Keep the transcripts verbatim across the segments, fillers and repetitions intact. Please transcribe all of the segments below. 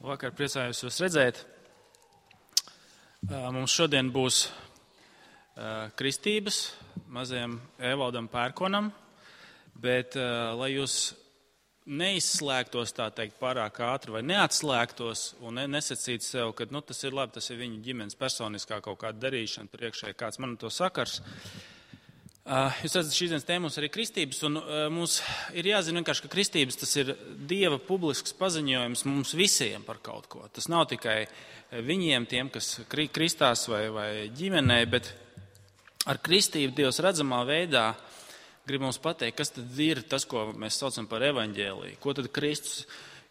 Vakar priecājos jūs redzēt. Mums šodien būs kristības mazajam Evaldam Pērkonam, bet lai jūs neizslēgtos, tā teikt, pārāk ātri vai neatslēgtos un nesacītu sev, ka nu, tas ir labi, tas ir viņu ģimenes personiskā kaut kāda darīšana priekšēji, kāds man to sakars. Jūs redzat, šīs dienas tēma mums arī kristības, un mums ir jāzina vienkārši, ka kristības tas ir Dieva publisks paziņojums mums visiem par kaut ko. Tas nav tikai viņiem, tiem, kas kristās vai, vai ģimenē, bet ar kristību Dievs redzamā veidā grib mums pateikt, kas tad ir tas, ko mēs saucam par evaņģēliju, ko tad Kristus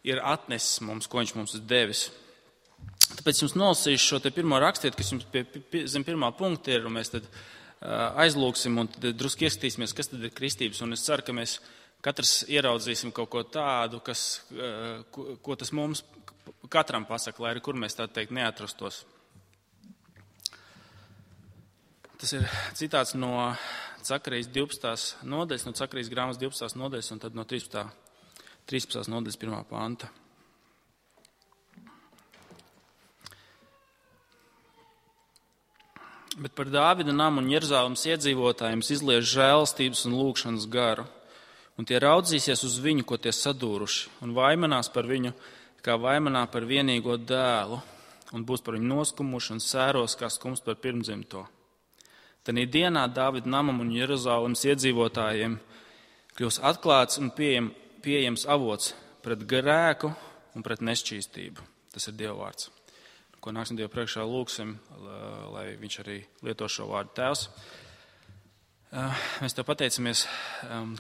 ir atnesis mums, ko viņš mums ir devis. Tāpēc jums nolasīšu šo te pirmo rakstiet, kas jums pie, pie, zem pirmā punkta ir, un mēs tad aizlūksim un tad drusku ieskatīsimies, kas tad ir kristības. Un es ceru, ka mēs katrs ieraudzīsim kaut ko tādu, kas, ko, ko tas mums katram pasaka, lai arī kur mēs tā teikt neatrastos. Tas ir citāts no Cakarijas divpadsmitās nodaļas, no Cakarijas grāmatas divpadsmitās nodaļas un tad no trīspadsmitās nodaļas pirmā panta. Bet par Dāvida namu un Jeruzalemes iedzīvotājiem izlieš žēlastības un lūgšanas garu, un tie raudzīsies uz viņu, ko tie sadūruši, un vaimanās par viņu, kā vaimanā par vienīgo dēlu, un būs par viņu noskumuši un sēros, kā skums par pirmdzimto. Tanī dienā Dāvida namam un Jeruzalemes iedzīvotājiem kļūs atklāts un pieejam, pieejams avots pret grēku un pret nešķīstību. Tas ir Dieva vārds, ko nāksim Dievu priekšā lūgsim, lai viņš arī lieto šo vārdu. Tēvs, mēs tev pateicamies,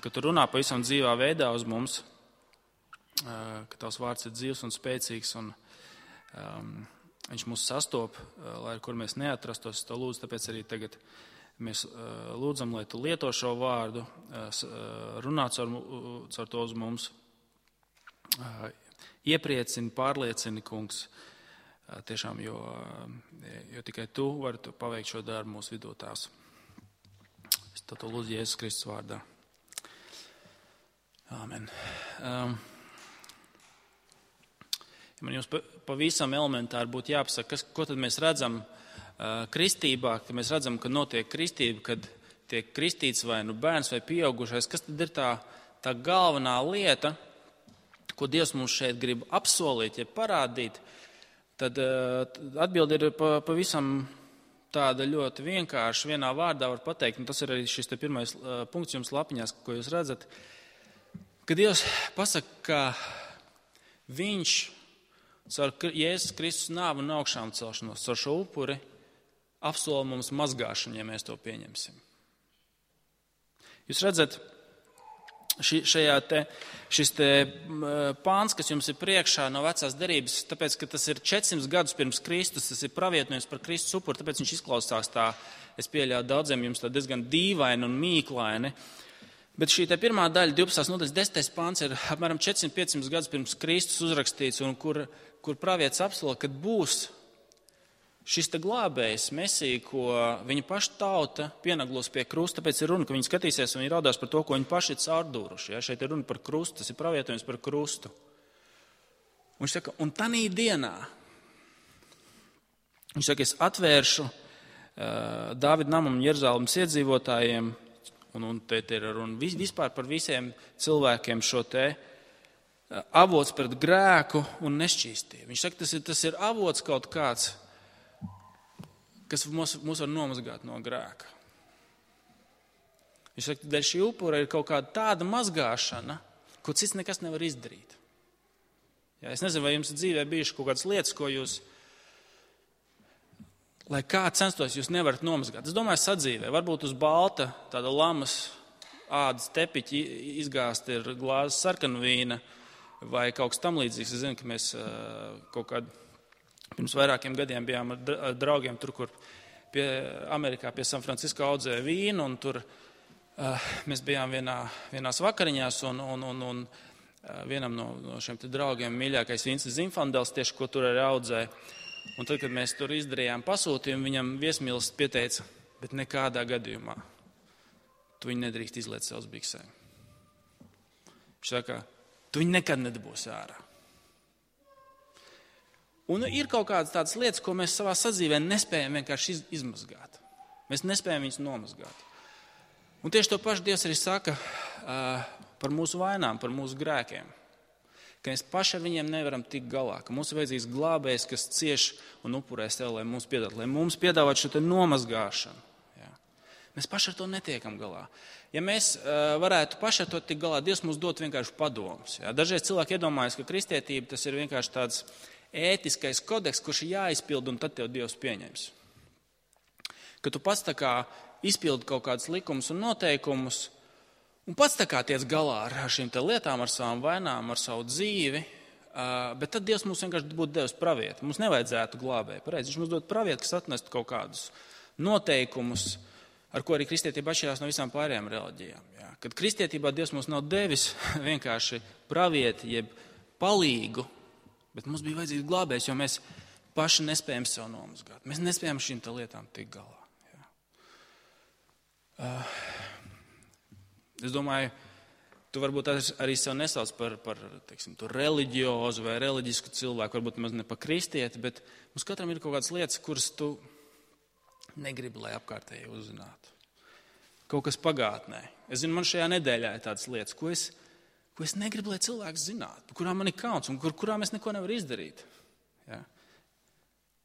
ka tu runā pavisam dzīvā veidā uz mums, ka tavs vārds ir dzīvs un spēcīgs, un um, viņš mūs sastop, lai kur mēs neatrastos. Es tev lūdzu, tāpēc arī tagad mēs lūdzam, lai tu lieto šo vārdu, runā caur, caur to uz mums, iepriecini, pārliecini, kungs, tiešām, jo, jo tikai tu vari paveikt šo darbu mūsu vidū, tās. Es to lūdzu Jēzus Kristus vārdā. Āmen. Um, man jums pavisam elementāri būtu jāpasaka, kas, ko tad mēs redzam uh, kristībā, kad mēs redzam, ka notiek kristība, kad tiek kristīts vai nu bērns vai pieaugušais, kas tad ir tā, tā galvenā lieta, ko Dievs mums šeit grib apsolīt, ja parādīt. Tad atbilde ir pavisam tāda ļoti vienkārša, vienā vārdā var pateikt, un tas ir arī šis te pirmais punkts jums lapiņās, ko jūs redzat, ka Dievs pasaka, ka viņš caur Jēzus Kristus nāvu un augšām celšanos, caur šo upuri apsola mums mazgāšanu, ja mēs to pieņemsim. Jūs redzat, Ši, šajā te, šis te pāns, kas jums ir priekšā no vecās derības, tāpēc, ka tas ir četrsimt gadus pirms Kristus, tas ir pravietojums par Kristus upuri, tāpēc viņš izklausās tā, es pieļauju daudziem jums tā diezgan dīvaini un mīklaini. Bet šī te pirmā daļa, divpadsmitās nodaļas desmitais pāns, ir apmēram četrsimt piecsimt gadus pirms Kristus uzrakstīts, un kur, kur pravietis apsola, kad būs šis te glābējs, Mesija, ko viņa paša tauta pienaglos pie krusta, tāpēc ir runa, ka viņi skatīsies un viņi raudās par to, ko viņi paši ir caurdūruši. Ja? Šeit ir runa par krustu, tas ir pravietojums par krustu. Un viņš saka, un tanī dienā, viņš saka, es atvēršu uh, Dāvida namam un Jeruzalemes iedzīvotājiem, un, un te ir runa vispār par visiem cilvēkiem šo te uh, avots pret grēku un nešķīstību. Viņš saka, tas ir, tas ir avots kaut kāds, kas mūs, mūs var nomazgāt no grēka. Viņš saka, dēļ šī upura ir kaut kāda tāda mazgāšana, ko cits nekas nevar izdarīt. Jā, es nezinu, vai jums dzīvē bijuši kaut kādas lietas, ko jūs, lai kā censtos, jūs nevarat nomazgāt. Es domāju, sadzīvē, varbūt uz balta, tāda lamas ādas tepiķi izgāzt ir glāzes sarkanvīna vai kaut kas tam līdzīgs. Es zinu, ka mēs kaut kādu pirms vairākiem gadiem bijām ar draugiem tur, kur pie Amerikā pie San Francisco audzēja vīnu, un tur uh, mēs bijām vienā, vienās vakariņās, un, un, un, un uh, vienam no, no šiem te draugiem mīļākais vīns ir Zinfandels, tieši ko tur arī audzēja. Un tad, kad mēs tur izdarījām pasūtījumu, viņam viesmīlis pieteica, bet nekādā gadījumā tu viņu nedrīkst izliet savas biksēm. Viņš saka, tu viņu nekad nedabūsi ārā. Un ir kaut kādas tādas lietas, ko mēs savā sadzīvē nespējam vienkārši iz, izmazgāt. Mēs nespējam viņus nomazgāt. Un tieši to pašu Dievs arī saka uh, par mūsu vainām, par mūsu grēkiem. Ka mēs paši ar viņiem nevaram tikt galā. Ka mums ir vajadzīgs glābējs, kas cieš un upurē sev, lai mums piedāvāt, lai mums piedāvāt šo te nomazgāšanu. Jā. Mēs paši ar to netiekam galā. Ja mēs uh, varētu paši ar to tikt galā, Dievs mums dot vienkārši padomus. Jā. Dažreiz cilvēki iedomājas, ka kristietība tas ir vienkārši tāds ētiskais kodeks, kurš ir jāizpild, un tad tev Dievs pieņems. Ka tu pats tā kā izpildi kaut kādus likumus un noteikumus, un pats tā kā tiec galā ar šīm te lietām, ar savām vainām, ar savu dzīvi, bet tad Dievs mums vienkārši būtu devis pravieti. Mums nevajadzētu glābēju. Pareizi, viņš mums dod pravieti, kas atnestu kaut kādus noteikumus, ar ko arī kristietība atšķirās no visām pārējām reliģijām. Jā. Kad kristietībā Dievs mums nav devis vienkārši pravieti, jeb palīgu, bet mums bija vajadzīgs glābējs, jo mēs paši nespējam sev nomazgāt. Mēs nespējam šīm tā lietām tikt galā. Jā. Uh, es domāju, tu varbūt arī sev nesauc par, par teiksim, tu reliģiozu vai reliģisku cilvēku, varbūt maz ne par kristieti, bet mums katram ir kaut kādas lietas, kuras tu negribi, lai apkārtēji uzzinātu. Kaut kas pagātnē. Es zinu, man šajā nedēļā ir tādas lietas, ko es ko es negribu, lai cilvēks zinātu, par kurām man ir kauns un kur, kurām es neko nevaru izdarīt. Ja?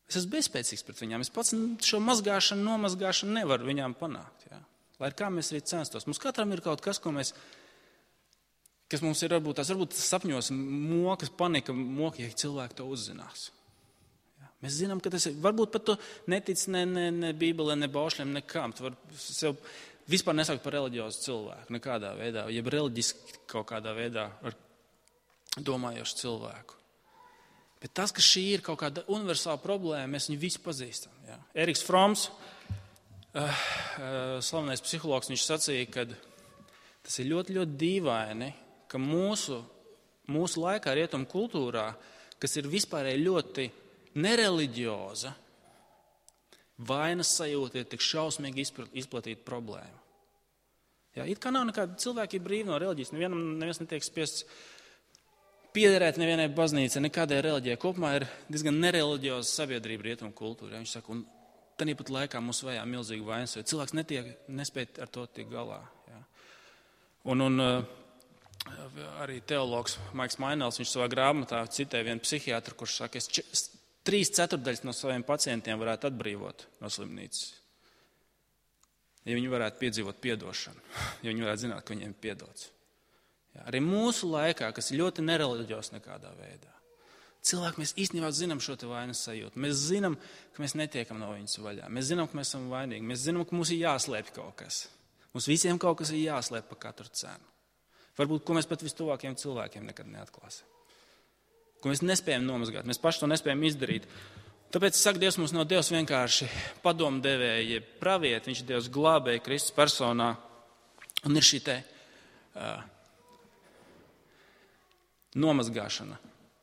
Es esmu bezspēcīgs pret viņām. Es pats šo mazgāšanu, nomazgāšanu nevaru viņām panākt. Ja? Lai kā mēs arī censtos. Mums katram ir kaut kas, ko mēs, kas mums ir varbūt tās, varbūt tas sapņos mokas, panika, moka, ja cilvēki to uzzinās. Ja? Mēs zinām, ka tas ir, varbūt pat tu netic ne, ne, ne Bībelē, ne baušļiem, nekām. Tu var sev vispār nesaukt par reliģiozu cilvēku, nekādā veidā, jeb reliģiski kaut kādā veidā ar domājošu cilvēku. Bet tas, ka šī ir kaut kāda universāla problēma, mēs viņu visu pazīstam. Jā. Eriks Froms, uh, uh, slavenais psihologs, viņš sacīja, ka tas ir ļoti, ļoti dīvaini, ka mūsu, mūsu laikā rietumu kultūrā, kas ir vispārēji ļoti nereliģioza, vainas sajūta ir tik šausmīgi izplatīta problēma. Jā, it kā nav nekāda cilvēki ir brīvi no reliģijas, nevienam neviens netiek spiests piederēt nevienai baznīcai, nekādai reliģijai. Kopumā ir diezgan nereliģioza sabiedrība rietumu kultūra. Viņš saka, un tāpat laikā mums vajā milzīgi vainas, jo cilvēks netiek, nespēj ar to tikt galā. Jā. Un, un arī teologs Maiks Mainels, viņš savā grāmatā citē vienu psihiatru, kurš saka, es trīs ceturdaļas no saviem pacientiem varētu atbrīvot no slimnīcas, ja viņi varētu piedzīvot piedošanu, ja viņi varētu zināt, ka viņiem ir piedots. Jā, arī mūsu laikā, kas ir ļoti nereliģios nekādā veidā, cilvēki mēs īstenībā zinām šo te vainas sajūtu. Mēs zinām, ka mēs netiekam no viņas vaļā. Mēs zinām, ka mēs esam vainīgi. Mēs zinām, ka mums ir jāslēpj kaut kas. Mums visiem kaut kas ir jāslēpj par katru cenu. Varbūt, ko mēs pat vistuvākiem cilvēkiem nekad neatklāsim. Ko mēs nespējam nomazgāt. Mēs paši to nespējam izdarīt. Tāpēc, saka, Dievs mums nav Dievs vienkārši padomdevēji, pravieti, viņš ir Dievs glābēji Kristus personā. Un ir šī te uh, nomazgāšana,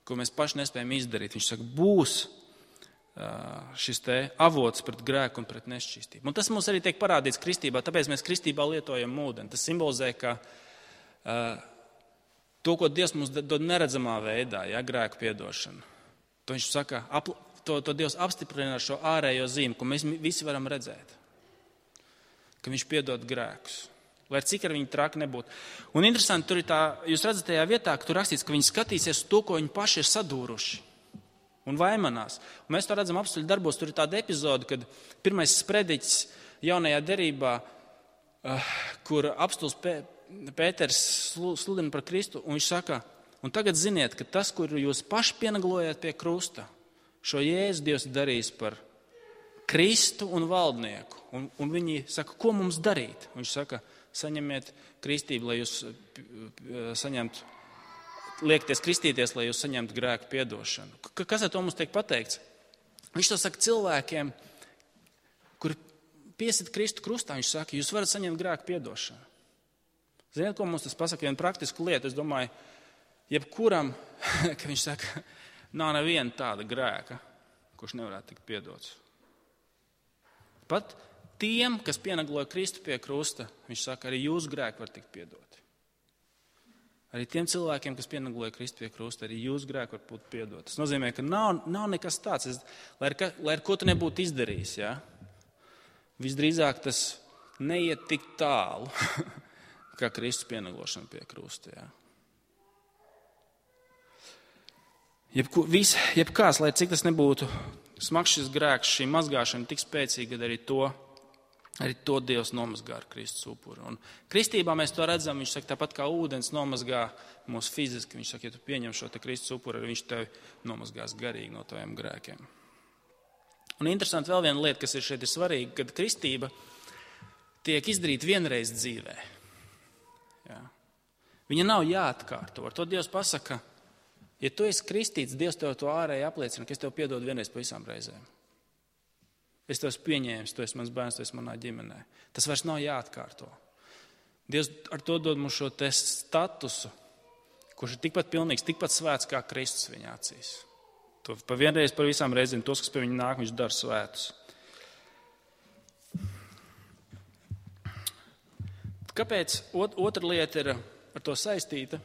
ko mēs paši nespējam izdarīt. Viņš saka, būs uh, šis te avots pret grēku un pret nešķīstību. Un tas mums arī tiek parādīts kristībā, tāpēc mēs kristībā lietojam ūdeni. Tas simbolizē, ka uh, to, ko Dievs mums dod neredzamā veidā, ja, grēku piedošanu, to viņš saka, apl- to, to Dievs apstiprina ar šo ārējo zīmi, ko mēs visi varam redzēt. Ka viņš piedod grēkus. Lai cik ar viņu traki nebūtu. Un interesanti, tur ir tā, jūs redzat tajā vietā, ka tur rakstīts, ka viņi skatīsies to, ko viņi paši ir sadūruši. Un vaimanās. Un mēs to redzam apstuļu darbos. Tur ir tāda epizode, kad pirmais sprediķis jaunajā derībā, uh, kur apstuls Pē, Pēters sludina par Kristu, un viņš saka, un tagad ziniet, ka tas, kur jūs paši pienaglojat pie krusta, šo Jēzu Dievs darīs par Kristu un valdnieku. Un, un viņi saka, ko mums darīt? Viņš saka, saņemiet kristību, lai jūs saņemtu, liekties kristīties, lai jūs saņemtu grēku piedošanu. Kas ar to mums tiek pateikts? Viņš to saka cilvēkiem, kuri piesit Kristu krustā, viņš saka, jūs varat saņemt grēku piedošanu. Ziniet, ko mums tas pasaka? Vienu praktisku lietu, es domāju, jebkuram, ka viņš saka, nav neviena tāda grēka, kurš nevarētu tikt piedots. Pat tiem, kas pienagloja Kristu pie krusta, viņš saka, arī jūsu grēki var tikt piedoti. Arī tiem cilvēkiem, kas pienagloja Kristu pie krusta, arī jūsu grēki var būt piedot. Tas nozīmē, ka nav, nav nekas tāds, es, lai, ar, lai ar ko tu nebūtu izdarījis. Ja? Visdrīzāk tas neiet tik tālu, kā Kristus pienaglošana pie krusta. Ja? Jebku, vis, jebkās, lai cik tas nebūtu smags šis grēks, šī mazgāšana tik spēcīga, kad arī to Arī to Dievs nomazgā ar Kristus upuru. Un kristībā mēs to redzam, viņš saka, tāpat kā ūdens nomazgā mūs fiziski. Viņš saka, ja tu pieņem šo te Kristus upuru, viņš tevi nomazgās garīgi no taviem grēkiem. Un interesanti vēl viena lieta, kas ir šeit ir svarīga, kad kristība tiek izdarīta vienreiz dzīvē. Jā. Viņa nav jāatkārto. Ar to Dievs pasaka, ja tu esi kristīts, Dievs tev to ārēji apliecina, ka es tev piedodu vienreiz pa visām reizēm. Es tev esmu pieņēmis, tu esi mans bērns, tu esi manā ģimenē. Tas vairs nav jāatkārto. Dievs ar to dod mums šo te statusu, kurš ir tikpat pilnīgs, tikpat svēts kā Kristus viņa acīs. To pa vienreiz par visām reizēm, tos, kas pie viņa nāk, viņš dara svētus. Kāpēc otra lieta ir ar to saistīta?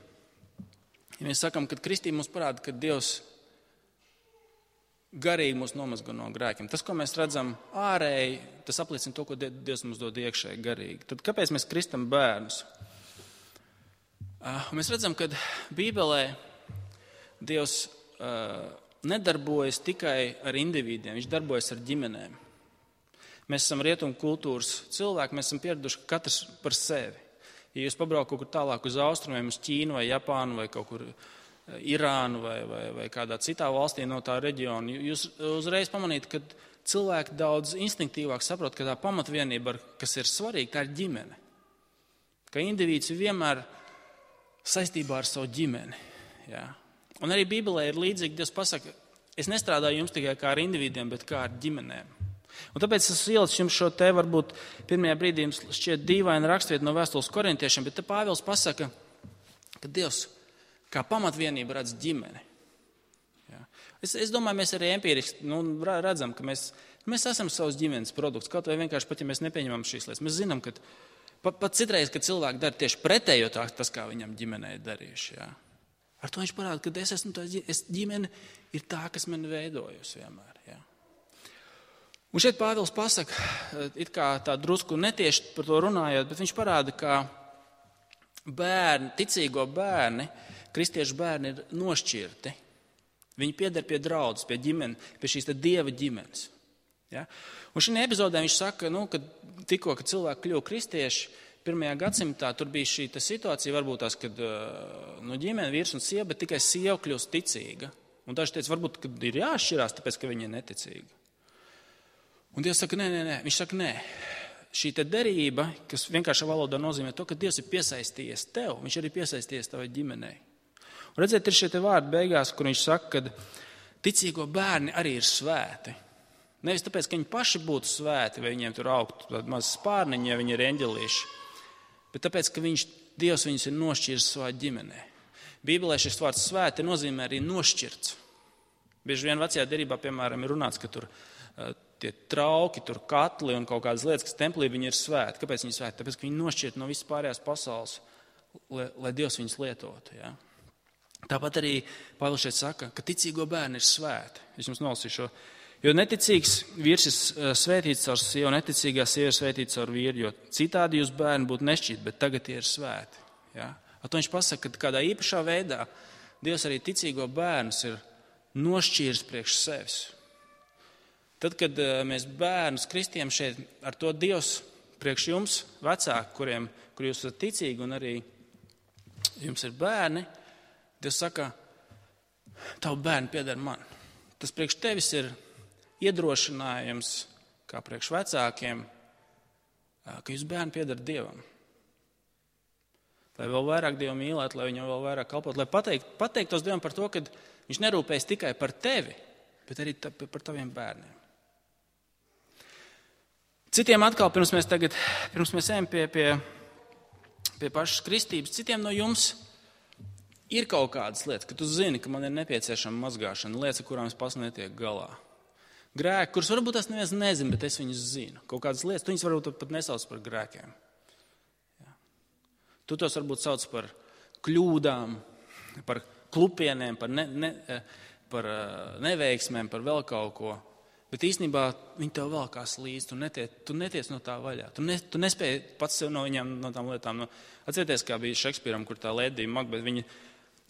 Ja mēs sakam, ka kristība mums parāda, ka Dievs garīgi mūs nomazgo no grēkiem. Tas, ko mēs redzam ārēji, tas apliecina to, ko Dievs mums dod iekšēji garīgi. Tad kāpēc mēs kristam bērnus? Uh, mēs redzam, ka Bībelē Dievs uh, nedarbojas tikai ar individiem, viņš darbojas ar ģimenēm. Mēs esam rietumu kultūras cilvēki, mēs esam pieraduši katrs par sevi. Ja jūs pabraukat kaut kur tālāk uz austrumiem, uz Ķīnu vai Japānu vai kaut kur Irānu vai, vai, vai kādā citā valstī no tā reģiona, jūs uzreiz pamanīt, ka cilvēki daudz instinktīvāk saprot, ka tā pamatvienība, kas ir svarīga, tā ir ģimene. Ka indivīds ir vienmēr saistībā ar savu ģimeni. Jā. Un arī Bībelē ir līdzīgi, Dievs pasaka, es nestrādāju jums tikai kā ar individiem, bet kā ar ģimenēm. Un tāpēc es ielicu jums šo te, varbūt pirmajā brīdī jums šķiet dīvaina rakstvieta no vēstules korintiešiem, bet te Pāvils pasaka, ka Dievs kā pamatvienība redz ģimeni. Jā. Es, es domāju, mēs arī empiriski nu, redzam, ka mēs, mēs esam savas ģimenes produkts. Kaut vai vienkārši pat, ja mēs nepieņemam šīs lietas. Mēs zinām, ka pat, pat citreiz, kad cilvēki dara tieši pretējo tas, kā viņam ģimenē ir darījuši. Jā. Ar to viņš parāda, ka es esmu tā es, ģimene ir tā, kas man veidojusi vienmēr. Jā. Un šeit Pāvils pasaka, it kā tā drusku netieši par to runājot, bet viņš parāda, ka bērni, ticīgo bērni, kristiešu bērni ir nošķirti. Viņi pieder pie draudzes, pie ģimenes, pie šīs Dieva ģimenes. Ja? Un šajā epizodē viņš saka, nu, ka tikko, kad cilvēki kļuva kristieši, pirmajā gadsimtā tur bija šī situācija, varbūt tās, kad no ģimene vīrs un sieva, bet tikai sieva kļūst ticīga. Un daži teica, varbūt, kad ir jāšķirās, tāpēc, ka viņa ir neticīga. Un Dievs saka, nē, nē, nē. Viņš saka, nē. Šī te derība, kas vienkāršā valodā nozīmē to, ka Dievs ir piesaistījies tev, viņš arī piesaistījies tavai ģimenei. Un redziet, ir šie te vārdi beigās, kur viņš saka, ka ticīgo bērni arī ir svēti. Nevis tāpēc, ka viņi paši būtu svēti, vai viņiem tur augtu tādi mazi spārniņi, ja viņi ir eņģelīši, bet tāpēc, ka viņš, Dievs viņus ir nošķiris savā ģimenē. Bībelē šis vārds svēti nozīmē arī nošķirts. Bieži vien vecajā derībā, piemēram, ir runāts, ka tur uh, tie trauki, tur katli un kaut kādas lietas, kas templī, viņi ir svēti. Kāpēc viņi ir svēti? Tāpēc, ka viņi nošķirt no visas pārējās pasaules, lai, lai Dievs viņus lietotu. Ja? Tāpat arī Pāvils šeit saka, ka ticīgo bērni ir svēti. Es jums nolasīšu. Jo neticīgs vīrs ir svētīts caur sievu, neticīgā sieva ir svētīta caur vīru, jo citādi jūs bērni būtu nešķīt, bet tagad tie ir svēti. Ja? Ar to viņš pasaka, ka kādā īpašā veidā Dievs arī ticīgo bērnus ir nošķīris priekš sevis. Tad, kad mēs bērnus kristiem šeit, ar to Dievs priekš jums, vecāki, kuriem, kur jūs esat ticīgi un arī jums ir bērni, Dievs saka, tavu bērni pieder man. Tas priekš tevis ir iedrošinājums, kā priekš vecākiem, ka jūs bērni pieder Dievam. Lai vēl vairāk Dievu mīlēt, lai viņam vēl vairāk kalpot, lai pateikt, pateiktos Dievam par to, ka viņš nerūpējas tikai par tevi, bet arī ta, par taviem bērniem. Citiem atkal, pirms mēs tagad, pirms mēs ejam pie, pie, pie pašas kristības, citiem no jums ir kaut kādas lietas, ka tu zini, ka man ir nepieciešama mazgāšana, lietas, ar kurām es pats netiek galā. Grēki, kurus varbūt es neviens nezinu, bet es viņus zinu. Kaut kādas lietas, tu viņus varbūt pat nesauc par grēkiem. Ja. Tu tos varbūt sauc par kļūdām, par klupieniem, par, ne, ne, par neveiksmēm, par vēl kaut ko. Bet īstenībā viņi tev velkās līdzi, tu netiec, tu netiec no tā vaļā. Tu, ne, tu nespēji pats sev no viņām, no tām lietām. No, atcerieties, kā bija Šekspīram, kur tā Lēdija Makbeta, viņa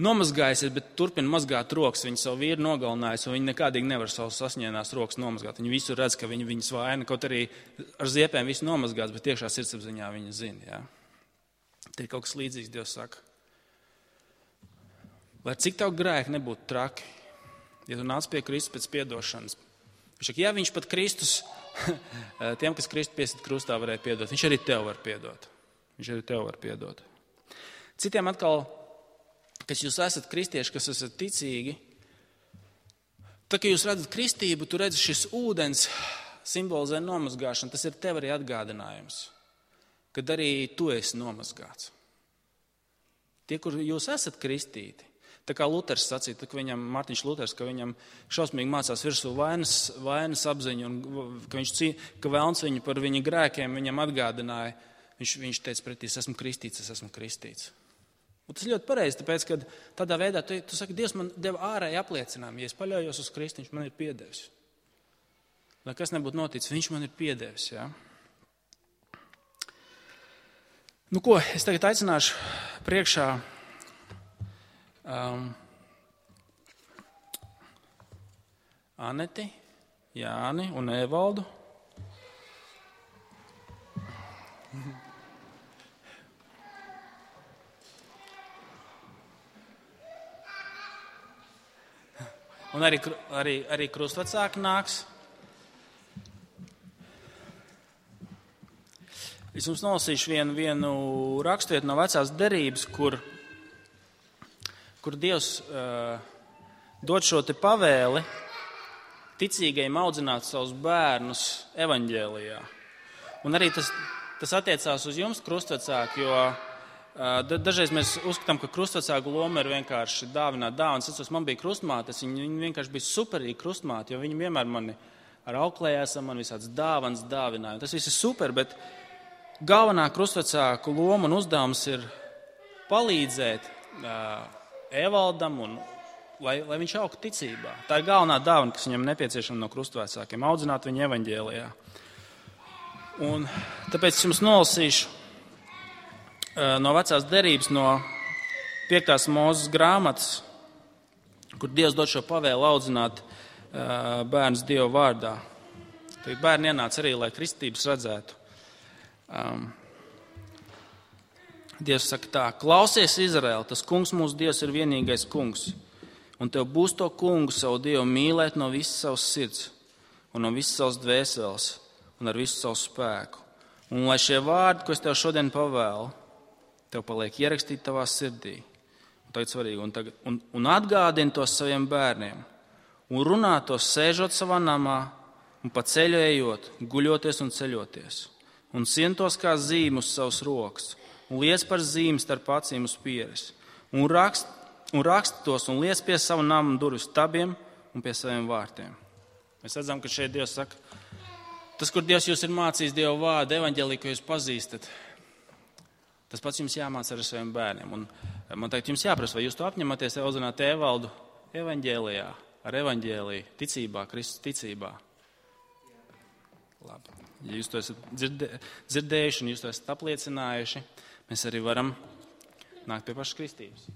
nomazgājusies, bet turpina mazgāt rokas. Viņa savu vīru nogalinājusi, un viņa nekādīgi nevar savus sasņēnās rokas nomazgāt. Viņa visu redz, ka viņa viņas vaina, kaut arī ar ziepēm visu nomazgāts, bet iekšā sirdsapziņā viņa zina. Jā. Te ir kaut kas līdzīgs, Dievs saka. Lai cik tev grēki nebūtu traki, ja tu nāc pie Kristus pēc piedošanas. Viņš saka, ja viņš pat Kristus, tiem, kas Kristu piesit krustā, varēja piedot, viņš arī tev var piedot. Viņš arī tev var piedot. Citiem atkal, kas jūs esat kristieši, kas esat ticīgi, tad, kad jūs redzat kristību, tu redzi šis ūdens simbolizē nomazgāšanu, tas ir tev arī atgādinājums, kad arī tu esi nomazgāts. Tie, kur jūs esat kristīti, tā kā Luters sacīja, tā, ka viņam, Mārtiņš Luters, ka viņam šausmīgi mācās virsū vainas, vainas apziņu, un ka, viņš, ka vēlns viņu par viņa grēkiem viņam atgādināja, viņš, viņš teica pretī, es esmu kristīts, es esmu kristīts. Un tas ļoti pareizi, tāpēc, ka tādā veidā tu, tu saki, Dievs man deva ārēji apliecinājumu, ja es paļaujos uz Kristu, viņš man ir piedevis. Lai kas nebūtu noticis, viņš man ir piedevis, jā. Nu ko, es tagad aicināšu priekšā Um, Aneti, Jāni un Evaldu. Un arī, arī, arī krustvecāki nāks. Es jums nolasīšu vienu, vienu raksturvietu no vecās derības, kur kur Dievs uh, dod šo te pavēli ticīgajiem audzināt savus bērnus evaņģēlijā. Un arī tas, tas attiecās uz jums, krustvecāki, jo uh, dažreiz mēs uzskatām, ka krustvecāku loma ir vienkārši dāvināt dāvanas. Es man bija krustmātes, viņi, viņi vienkārši bija superīgi krustmāti, jo viņi vienmēr mani ar auklējās, man visāds dāvanas dāvināja. Tas viss ir super, bet galvenā krustvecāku loma un uzdevums ir palīdzēt uh, Evaldam, un, lai, lai viņš augtu ticībā. Tā ir galvenā dāvana, kas viņam nepieciešama no krustvecākiem, audzināt viņu evaņģēlijā. Un tāpēc jums nolasīšu uh, no vecās derības, no piektās Mūzes grāmatas, kur Dievs dod šo pavēlu audzināt uh, bērnus Dieva vārdā. Tad bērni ienāca arī, lai kristības redzētu. Um, Dievs saka tā, klausies, Izraēl, tas kungs mūsu Dievs ir vienīgais kungs, un tev būs to kungu savu Dievu mīlēt no visas savas sirds, un no visas savas dvēseles, un ar visu savu spēku. Un lai šie vārdi, ko es tev šodien pavēlu, tev paliek ierakstīt tavā sirdī, un tagad svarīgi, un, tagad, un, un atgādini tos saviem bērniem, un runā tos sēžot savā namā, un pa ceļu ejot, guļoties un ceļoties, un sientos kā zīmi uz savas rokas, un liec par zīmi starp acīm uz pieres, un rakst, un rakst tos, un liec pie savu namu durvju stabiem un pie saviem vārtiem. Mēs redzam, ka šeit Dievs saka, tas, kur Dievs jūs ir mācījis Dieva vārdu, evaņģēliju, ko jūs pazīstat, tas pats jums jāmāca ar saviem bērniem. Un man teikt, jums jāprasa, vai jūs to apņematies audzināt Evaldu evaņģēlijā, ar evaņģēliju, ticībā, Kristus ticībā. Labi. Ja jūs to esat dzirdē, dzirdējuši un jūs to esat apliecinājuši, mēs arī varam nākt pie pašas kristības.